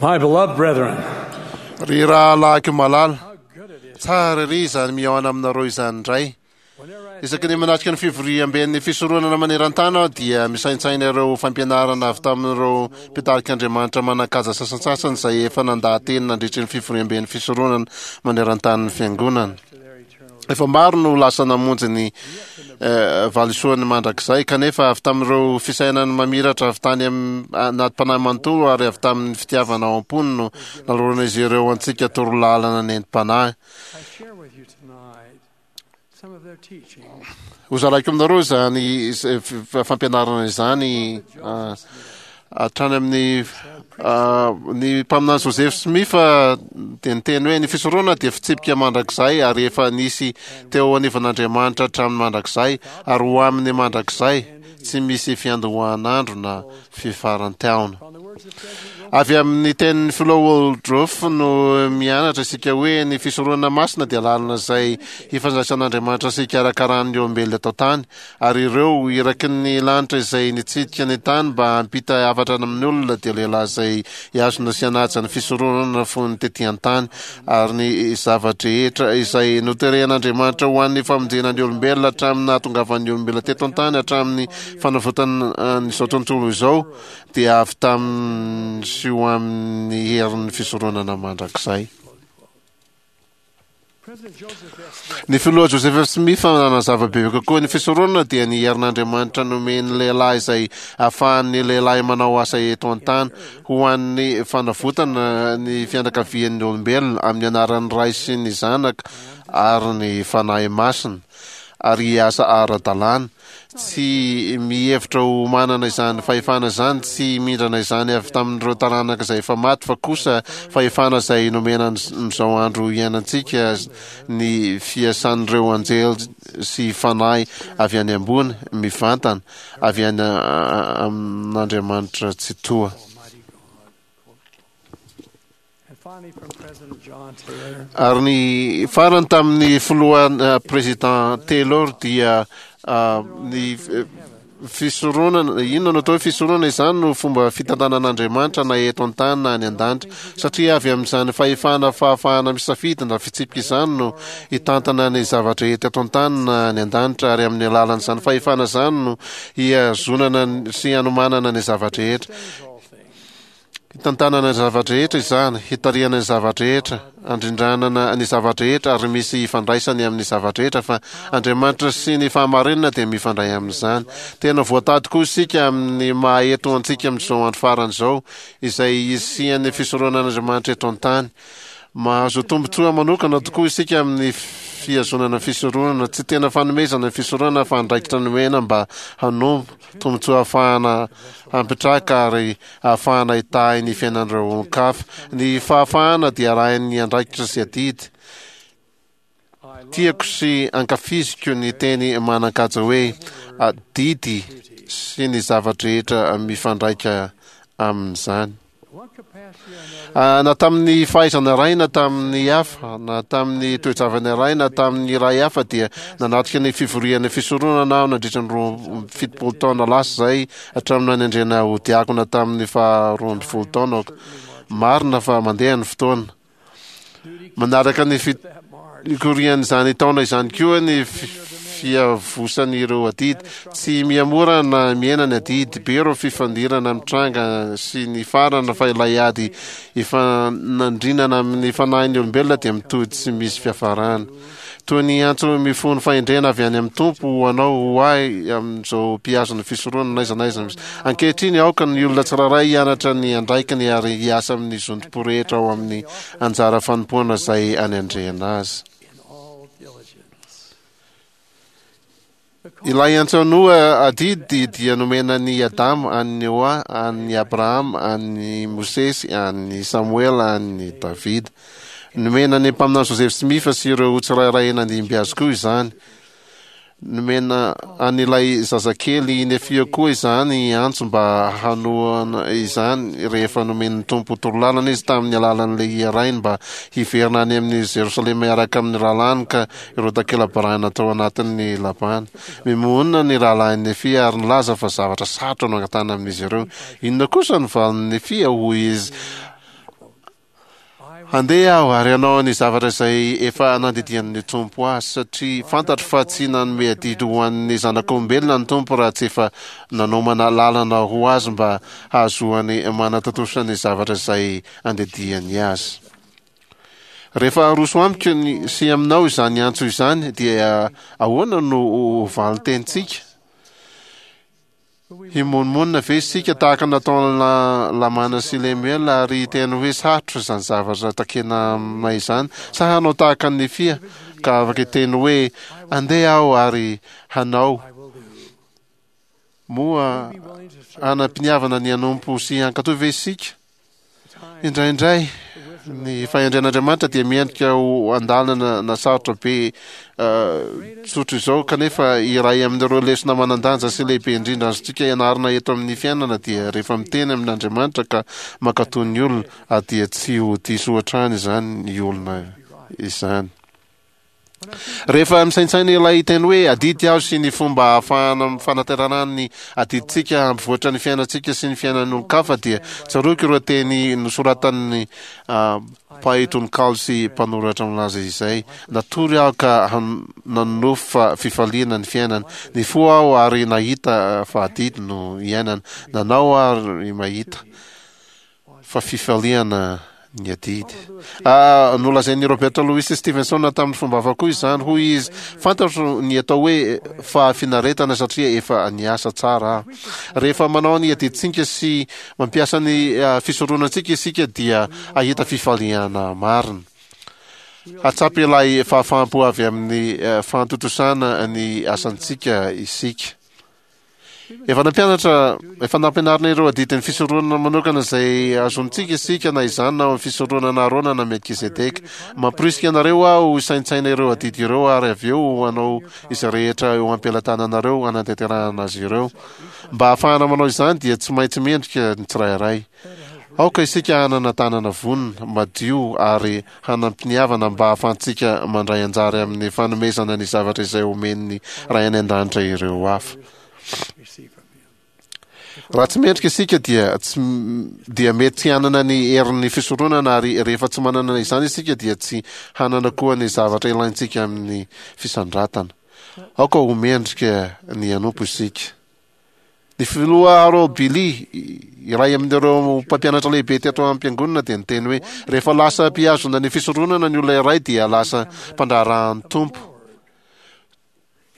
My beloved brethren, Ry rahalahiko malala, tsara ery izany mihaona aminareo izany indray. Isaky ny manatrika ny fivoriamben'ny fisoronana maneran-tany aho dia misaintsaina ireo fampianarana avy tamin'ireo mpitarik'Andriamanitra manan-kaja sasantsasany izay efa nandaha-teny nandritry ny fivoriamben'ny fisoronana maneran-tanin'ny Fiangonana. Efa maro no lasa namonjy ny valisoany mandrakizay, kanefa avy tamin'ireo fisainany mamiratra avy tany anatim-panahy manontolo ary avy tamin'ny fitiavana ao am-pony no naloran'izy ireo antsika torolalana nentim-panahy. Hozaraiko aminareo izany fampianarana izany hatrany amin'ny ny mpaminany Joseph Smith dia niteny hoe ny fisoronana dia fitsipika mandrakizay ary efa nisy teo anivon'Andriamanitra hatramin'ny mandrakizay ary ho amin'ny mandrakizay tsy misy fiandohan'andro na fifaran-taona. Avy amin'ny tenin'ny filoha Woodruff no mianatra isika hoe ny fisoronana masina dia lalana izay hifandraisan'Andriamanitra sy hikarakarany ny olombelona eto an-tany, ary ireo iraky ny lanitra izay nitsidika ny tany mba hampita hafatra amin'ny olona dia lehilahy izay hihazona sy hanaja ny fisoronana fony tety an-tany, ary ny zava-drehetra izay noterehan'Andriamanitra ho an'ny famonjena ny olombelona hatramin'ny nahatongavan'ny olombelona teto an-tany hatramin'ny fanavotana an'izao tontolo izao dia avy tamin'ny sy ho amin'ny herin'ny fisoronana mandrakizay. Ny filoha Joseph Smith nanazava bebe kokoa ny fisoronana dia ny herin'Andriamanitra nomen'ny lehilahy izay ahafahan'ny lehilahy manao asa eto an-tany ho an'ny fanavotana ny fianakavian'ny olombelona amin'ny anaran'ny Ray sy ny Zanaka ary ny Fanahy Masina ary hiasa ara-dalàna Tsy mihevitra ho manana izany fahefana izany, tsy mindrana izany avy tamin'ireo taranaka izay efa maty, fa kosa fahefana izay nomena amin'izao andro iainantsika ny fiasan'ireo anjely sy fanahy avy any ambony, mivantana, avy any amin'Andriamanitra Tsitoha. Ary ny farany tamin'ny filoha Président Taylor dia ny fisoronana, inona no atao hoe fisoronana? Izany no fomba fitantanan'Andriamanitra na eto an-tany na any an-danitra, satria avy amin'izany fahefana fahafahana misafidy na fitsipika izany no hitantana ny zava-drehetra eto an-tany na any an-danitra, ary amin'ny alalan'izany fahefana izany no hihazonana sy hanomanana ny zava-drehetra. Hitantanana ny zava-drehetra izany, hitarihana ny zava-drehetra, handrindranana ny zava-drehetra ary misy ifandraisany amin'ny zava-drehetra fa Andriamanitra sy ny fahamarinana dia mifandray amin'izany. Tena voatady koa isika amin'ny maha eto antsika amin'izao andro farany izao, izay hisian'ny fisoronan'Andriamanitra eto an-tany. Mahazo tombontsoa manokana tokoa isika amin'ny fihazonana fisoronana. Tsy tena fanomezana ny fisoronana fa andraikitra nomena mba hanompo, tombontsoa ahafahana hampitraka ary ahafahana hitahy ny fiainan'ireo olon-kafa. Ny fahafahana dia arahin'ny andraikitra sy adidy. Tiako sy ankafiziko ny teny manan-kaja hoe adidy sy ny zava-drehetra mifandraika amin'izany. Na tamin'ny fahaizana iray na tamin'ny hafa, na tamin'ny toe-javana iray na tamin'ny iray hafa dia nanatrika ny fivorian'ny fisoronana aho nandritra ny 72 taona lasa izay hatramin'ny nanendrena ho diakona tamin'ny faha 12 taonako. Marina fa mandeha ny fotoana. Manaraka ny fikorian'izany taona izany koa ny fiavosan'ireo adidy. Tsy mihamora na mihena ny adidy. Be ireo fifandirana mitranga sy ny farana fa ilay ady ifanandrinana amin'ny fanahin'ny olombelona dia mitohy tsy misy fiafarana. Toy ny antso mifono fahendrena avy any amin'ny Tompo ho anao, ho ahy amin'izao mpihazona fisoronana n'aiza n'aiza misy. Ankehitriny, aoka ny olona tsirairay hianatra ny andraikiny ary hiasa amin'ny zotom-po rehetra ao amin'ny anjara fanompoana izay anendrena azy. Ilay antso Noa adidy dia nomena an'i Adama, an'i Noa, an'i Abrahama, an'i Mosesy, an'i Samoela, an'i Davida. Nomena ny mpaminany Joseph Smith sy ireo tsirairay nandimby azy koa izany. Nomena an'ilay zazakely Nefia koa izany antso mba hanohana izany rehefa nomen'ny Tompo torolalana izy tamin'ny alalan'ny Lehia rainy mba hiverina any amin'i Jerosalema hiaraka amin'ny rahalahiny ka ireo takela-barahina tao anatin'ny Labana. Mimohonina ny rahalahin'i Nefia ary nilaza fa zavatra sarotra no angatahana amin'izy ireo. Inona kosa no valin'i Nefia? Hoy izy, Handeha aho ary hanao ny zavatra izay efa nandidian'ny Tompo ahy, satria fantatro fa tsy nanome adidy ho an'ny zanak'olombelona ny Tompo raha tsy efa nanomana lalana ho azy mba hahazoany manatontosa ny zavatra izay andidiany azy. Rehefa aroso amiko ny, sy aminao izany antso izany, dia ahoana no ho valin-tenintsika? Himonomonona ve isika tahaka ny nataon'i Lamana sy Lemuela ary hiteny hoe sarotra izany zavatra takena aminay izany? Sa hanao tahaka an'i Nefia ka afaka hiteny hoe andeha aho ary hanao? Moa hanam-piniavana ny hanompo sy hankatò ve isika? Indraindray, ny fahendren'Andriamanitra dia miendrika ho andalana na sarotra be tsotra izao, kanefa iray amin'ireo lesona manan-danja sy lehibe indrindra azontsika ianarana eto amin'ny fiainana dia rehefa miteny amin'Andriamanitra ka mankatò ny olona, dia tsy ho diso hatrany izany olona izany. Rehefa misaintsaina ilay teny hoe adidy aho sy ny fomba ahafahana fanaterana ny adidintsika hampivoatra ny fiainantsika sy ny fiainan'ny olon-kafa dia tsaroako ireo teny nosoratan'ny mpahay tononkalo sy mpanoratra milaza izay, Natory aho ka nanonofy fa fifaliana ny fiainana. Nifoha aho ary nahita fa adidy no iainana. Nanao aho ary mahita fa fifaliana ny adidy. Ah, nolazain'i Robert Louis Stevenson tamin'ny fomba hafa koa izany. Hoy izy, Fantatro ny atao hoe fahafinaretana satria efa niasa tsara aho. Rehefa manao ny adidintsika sy mampiasa ny ah, fisoronantsika isika dia hahita fifaliana marina. Hatsapa ilay fahafaham-po avy amin'ny eh, fahatontosana ny asantsika isika. Efa nampianatra, efa nampianarina ireo adidin'ny fisoronana manokana izay azontsika isika na izany na amin'ny fisoronana Arona na Melkizedeka. Mamporisika anareo aho hisaintsaina ireo adidy ireo ary avy eo hanao izay rehetra eo am-pelatananareo hanatanterahana azy ireo. Mba hahafahana manao izany dia tsy maintsy mendrika ny tsirairay. Aoka isika hanana tanana vonona, madio ary hanam-piniavana mba hahafahantsika mandray anjara amin'ny fanomezana ny zavatra izay omen'ny Ray any An-danitra ireo hafa. Raha tsy mendrika isika dia tsy dia mety tsy hanana ny herin'ny fisoronana ary rehefa tsy manana izany isika dia tsy hanana koa ny zavatra ilaintsika amin'ny fisandratana. Aoka ho mendrika ny hanompo isika. Ny filoha Harold Billy, iray amin'ireo mpampianatra lehibe teto am-piangonana dia niteny hoe, Rehefa lasa mpihazona ny fisoronana ny olona iray dia lasa mpandraharahan'ny Tompo.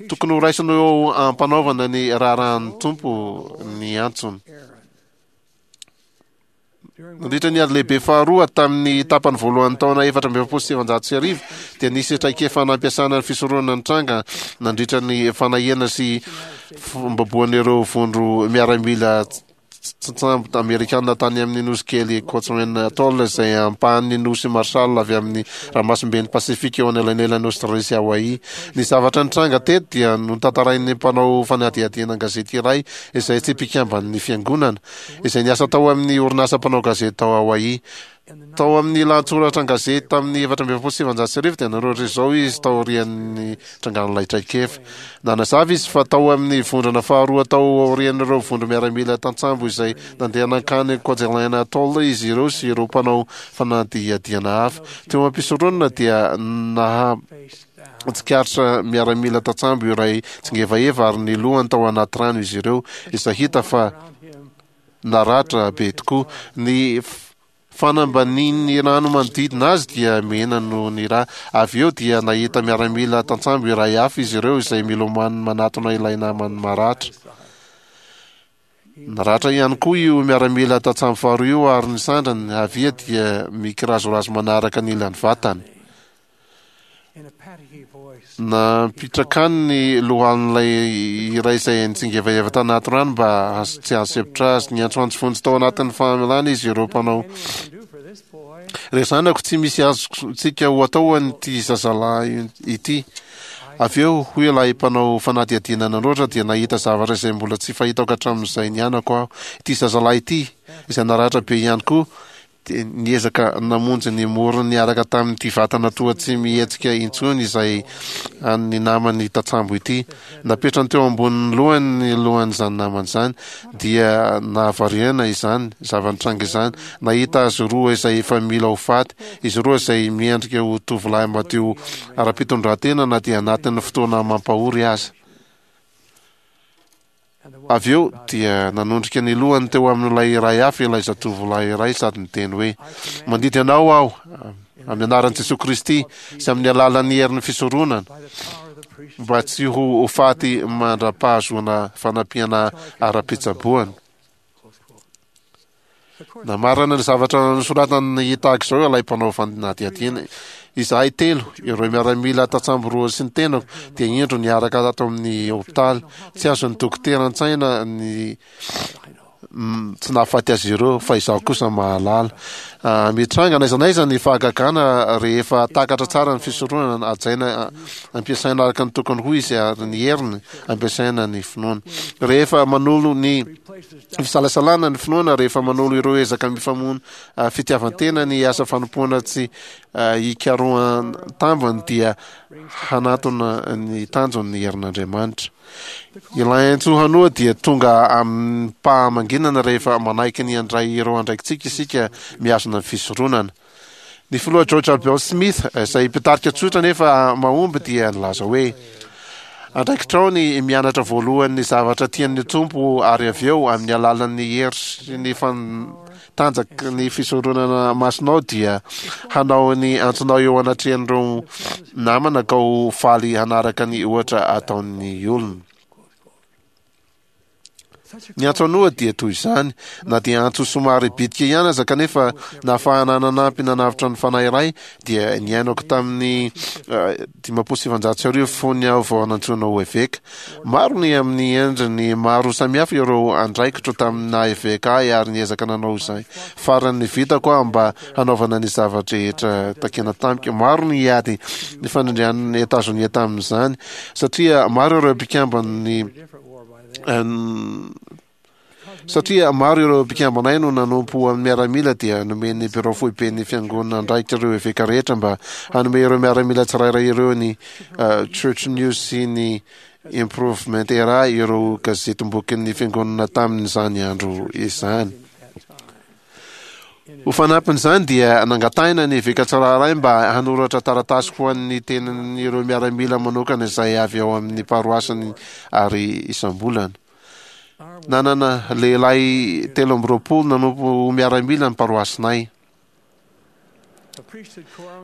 Tokony horaisina eo am-panaovana ny raharahan'ny Tompo ny antsony. Nandritra ny Ady Lehibe Faharoa, tamin'ny tapany voalohan'ny taona 1944, dia nisy traikefa nampiasana ny fisoronana nitranga nandritra ny fanahiana sy fombaboan'ireo vondro miaramila tantsambo amerikana tany amin'ny nosy kely Kwajalein Atoll, izay ampahan'ny nosy Marshall avy amin'ny ranomasimben'i Pasifika eo anelanelan'i Aostralia sy Hawaii. Ny zavatra nitranga teto dia notantarain'ny mpanao fanadihadiana an-gazety iray izay tsy mpikamban'ny fiangonana. izay niasa tao amin'ny orinasa mpanao gazety tao Hawaii. Tao amin'ny lahatsoratra an-gazety tamin'ny 1944 dia nanoratra izao izy taorian'ny trangan'ilay traikefa. Nanazava izy fa tao amin'ny vondrona faharoa tao aorian'ireo vondro-miaramila tantsambo izay nandeha nankany Kwajalein Atoll izy ireo sy ireo mpanao fanadihadiana hafa. Teo am-pisoronana dia naha tsikaritra miaramila tantsambo iray tsingevaheva ary ny lohany tao anaty rano izy ireo, izay hita fa naratra be tokoa. Ny fanambanin'ny rano manodidina azy dia mena noho ny ra. Avy eo dia nahita miaramila tantsambo iray hafa izy ireo izay milomano manatona ilay namany maratra. Naratra ihany koa io miaramila tantsambo faharoa io ary ny sandrany havia dia mikirazorazo manaraka ny ilan'ny vatany. Nampitraka ny lohalin'ilay iray izay nitsingevaheva tanaty rano mba tsy hahasempotra azy. Niantsoantso vonjy tao anatin'ny fahamelana izy ireo mpanao. Ry zanako, tsy misy azontsika ho atao an'ity zazalahy ity. Avy eo, hoy ilay mpanao fanadihadiana nanoratra, dia nahita zavatra izay mbola tsy fahitako hatramin'izay nianako aho. Ity zazalahy ity, izay naratra be ihany koa, Dia niezaka namonjy ny morony niaraka tamin'ity vatana toa tsy mihetsika intsony izay an'ny namany tantsambo ity. Napetrany teo ambonin'ny lohany ny lohan'izany namany izany. Dia nahavariana izany zava-nitranga izany. Nahita azy roa izay efa mila ho faty. Izy roa izay miendrika ho tovolahy madio ara-pitondrantena na dia anatin'ny fotoana mampahory aza. Avy eo dia nanondrika ny lohany teo amin'ilay iray hafa ilay zatovolahy iray sady niteny hoe, Mandidy anao aho, amin'ny anaran'i Jesoa Kristy sy amin'ny alalan'ny herin'ny fisoronana, mba tsy ho faty mandra-pahazoana fanampiana ara-pitsaboana. Namarana ny zavatra nosoratany tahaka izao ilay mpanao fanadihadiana, Izahay telo, ireo miaramila tantsambo roa sy ny tenako, dia indro niaraka tato amin'ny hopitaly. Tsy azon'ny dokotera an-tsaina ny tsy nahafaty azy ireo, fa izaho kosa mahalala. Ah, mitranga n'aiza n'aiza ny fahagagana rehefa takatra tsara ny fisoronana, hajaina, ampiasaina araka ny tokony ho izy ary ny heriny ampiasaina ny finoana. Rehefa manolo ny Fisalasalana ny finoana rehefa manolo ireo ezaka mifamono fitiavan-tena ny asa fanompoana tsy hikarohan-tambiny dia hanatona ny tanjony ny herin'Andriamanitra. Ilay antso hanoa dia tonga amim-pahamanginana rehefa manaiky ny handray ireo andraikitsika isika mihazona ny fisoronana. Ny filoha George Albert Smith, izay mpitarika tsotra nefa mahomby dia nilaza hoe, Andraikitrao ny mianatra voalohany ny zavatra tian'ny Tompo ary avy eo amin'ny alalan'ny hery sy ny tanjaky ny fisoronana masinao dia hanao ny antsonao eo anatrehan'ireo namana ka ho faly hanaraka ny ohatra ataon'ny olona. Ny antso an'oha dia toy izany, na dia antso somary bitika ihany aza kanefa nahafahana nanampy nanavotra ny fanahy iray dia niainako tamin'ny 1950 fony aho vao nantsoina ho eveka. Maro ny amin'ny endriny maro samihafa ireo andraikitro tamin'ny naha eveka ahy ary niezaka nanao izay faran'ny vitako aho mba hanaovana ny zava-drehetra takiana tamiko. Maro ny ady nifanindrian'i Etazonia tamin'izany satria maro ireo mpikamban'ny Satria maro ireo mpikambanay no nanompo ho an'ny miaramila dia nomen'ny birao foiben'ny fiangonana andraikitra ireo eveka rehetra mba hanome ireo miaramila tsirairay ireo ny Church News sy ny Improvement Era ireo gazetim-bokin'ny fiangonana tamin'izany andro izany. Ho fanampin'izany dia nangatahina ny eveka tsirairay mba hanoratra taratasy ho an'ny tenan'ireo miaramila manokana izay avy ao amin'ny paroasiny ary isam-bolana. Nanana lehilahy 23 nanompo ho miaramila ny paroasinay.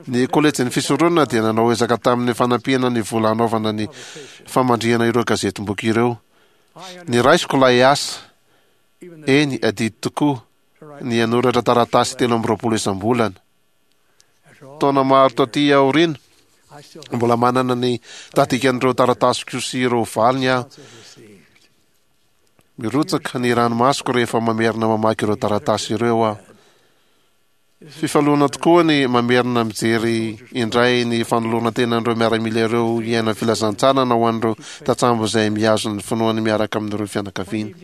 Ny kolejin'ny fisoronana dia nanao ezaka tamin'ny fanampiana ny vola hanaovana ny famandrihana ireo gazetim-boky ireo. Niraisiko ilay asa. Eny, adidy tokoa ny hanoratra taratasy 23 isam-bolana. Taona maro taty aoriana, mbola manana ny tahadikan'ireo taratasiko sy ireo valiny aho. Mirotsaka ny ranomasoko rehefa mamerina mamaky ireo taratasy ireo aho. Fifaliana tokoa ny mamerina mijery indray ny fanoloran-tenan'ireo miaramila ireo hiaina filazantsarana ho an'ireo tantsambo izay mihazo ny finoany miaraka amin'ireo fianakaviany.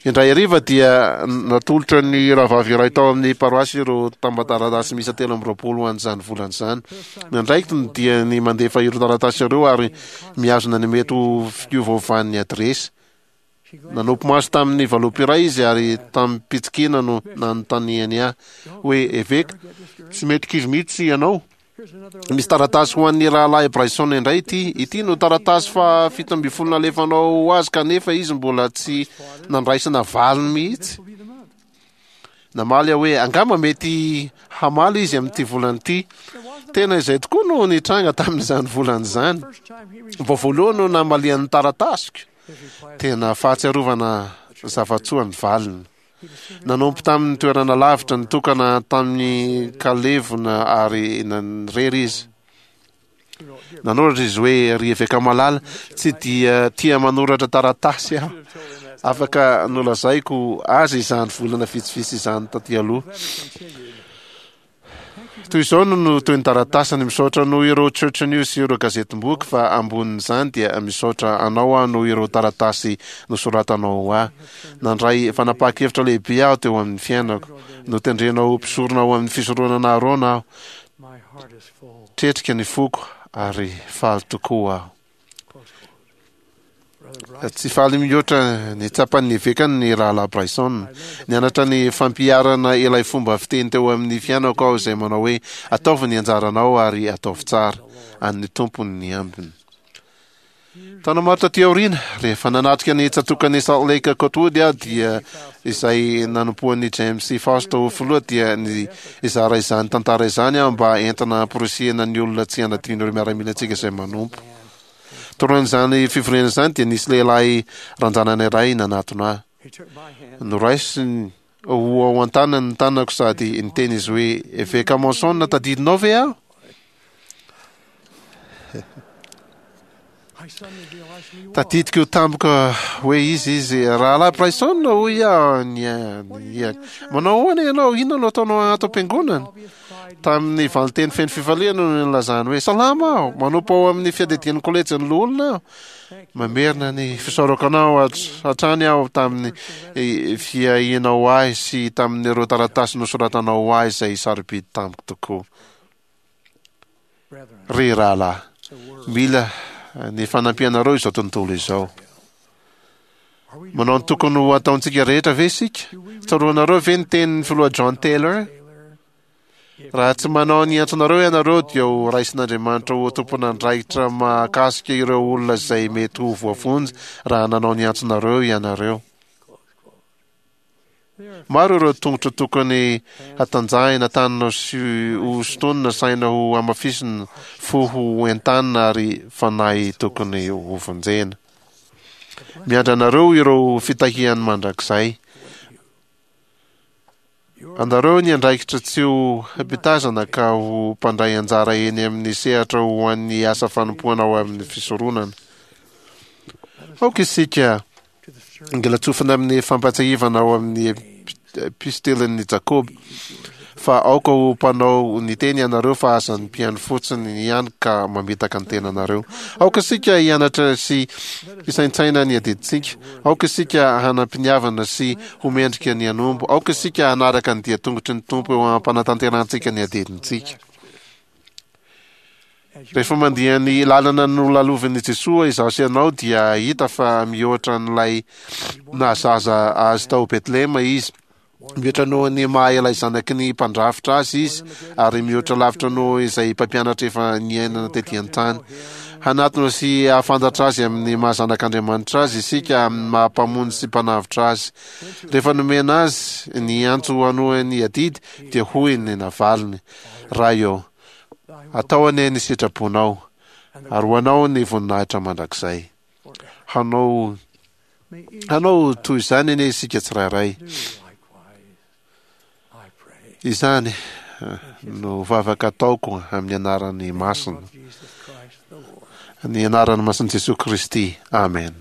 Indray hariva dia natolotra ny rahavavy iray tao amin'ny paroasy ireo tamban-taratasy miisa 23 ho an'izany volana izany. Ny andraikiny dia ny mandefa ireo taratasy ireo ary mihazona ny mety ho fiovaovan'ny adiresy. Nanopy maso tamin'ny valopy iray izy ary tamim-pitsikiana no nanontaniany ahy hoe, Eveka, tsy mety kivy mihitsy ianao? Misy taratasy ho an'ny rahalahy Bryson indray ity. Ity no taratasy faha 17 nalefanao ho azy kanefa izy mbola tsy nandraisana valiny mihitsy. Namaly aho hoe, Angamba mety hamaly izy amin'ity volana ity. Tena izay tokoa no nitranga tamin'izany volana izany. Vao voalohany no namalian'ny taratasiko. Tena fahatsiarovana zava-tsoa ny valiny. Nanompo tamin'ny toerana lavitra nitokana tamin'ny kalevona ary nanirery izy. Nanoratra izy hoe, Ry eveka malala, tsy dia tia manoratra taratasy aho. Afaka nolazaiko azy izany volana vitsivitsy izany taty aloha. Toy izao no no toy ny taratasiny, Misaotra noho ireo Church News sy ireo gazetim-boky, fa ambonin'izany dia misaotra anao aho noho ireo taratasy nosoratanao ho ahy. Nandray fanapahan-kevitra lehibe aho teo amin'ny fiainako. Notendrena ho mpisorona ao amin'ny fisoronana Arona aho. Tretrika ny foko ary faly tokoa aho. Tsy faly mihoatra ny tsapan'ny evekany ny Rahalahy Bryson. Nianatra ny fampiharana ilay fomba fiteny teo amin'ny fiainako aho izay manao hoe, Ataovy ny anjaranao ary ataovy tsara. An'ny Tompo ny ambiny. Taona maro taty aoriana, rehefa nanatrika ny tsatòkan'i Salt Lake Cotwood aho dia izay nanompoan'i James C. Faust ho filoha dia nizara izany tantara izany aho mba entina hamporisihina ny olona tsy hanadino ireo miaramilantsika izay manompo. Taorian'izany fivoriana izany dia nisy lehilahy ranjanana iray nanatona ahy. Noraisiny ho ao an-tanany ny tanako sady niteny izy hoe, Eveka Monson, tadidinao ve aho? Tadidiko tampoka hoe iza izy. Rahalahy Bryson, hoy aho nihiaka. Manao ahoana ianao? Inona no ataonao ato am-piangonana? Tamin'ny valinteny feno fifaliana no nilazany hoe, Salama aho! Manompo ao amin'ny fiadidian'ny kolejin'ny loholona aho. Mamerina ny fisaorako anao hatrany aho tamin'ny fiahianao ahy sy tamin'ireo taratasy nosoratanao ho ahy izay sarobidy tamiko tokoa. Ry rahalahy, mila ny fanampianareo izao tontolo izao. Manao ny tokony ho ataontsika rehetra ve isika? Tsaroanareo ve ny tenin'ny filoha John Taylor? Raha tsy manao ny antsonareo ianareo dia ho raisin'Andriamanitra ho tompon'andraikitra mahakasika ireo olona izay mety ho voavonjy raha nanao ny antsonareo ianareo. Maro ireo tongotra tokony hatanjahina, tanana sy ho sintonina, saina ho hamafisina, fo ho entanina ary fanahy tokony hovonjena. Miandry anareo ireo fitahiany mandrakizay. Anareo ny andraikitra tsy ho mpitazana ka ho mpandray anjara eny amin'ny sehatra ho an'ny asa fanompoana ao amin'ny fisoronana. Aoka isika Ngilatsofina amin'ny fampahatsiahivana ao amin'ny epistelin'i Jakoba fa aoka ho mpanao ny teny ianareo fa aza ny mpihaino fotsiny ihany ka mamitaka ny tenanareo. Aoka isika hianatra sy hisaintsaina ny adidintsika. Aoka isika hanam-piniavana sy ho mendrika ny hanompo. Aoka isika hanaraka ny dia-tongotry ny Tompo eo am-panatanterahantsika ny adidintsika. Rehefa mandia ny lalana nolalovin'i Jesoa izaho sy ianao dia hahita fa mihoatra an'ilay nahazaza azy tao Betlehema izy. Mihoatra noho ny maha ilay zanaky ny mpandrafitra azy izy ary mihoatra lavitra noho izay mpampianatra efa niainana tety an-tany. Hanatona sy hahafantatra azy amin'ny maha zanak'Andriamanitra azy isika amin'ny maha mpamonjy sy mpanavotra azy. Rehefa nomena azy ny antso hanohy ny adidy dia hoy ny navaliny, Ray ô, Atao anie ny sitraponao, ary ho anao ny voninahitra mandrakizay. Hanao hanao toy izany anie isika tsirairay. Izany eh, no vavaka ataoko amin'ny anarany masina. Ny anarany masin'i Jesoa Kristy. Amen.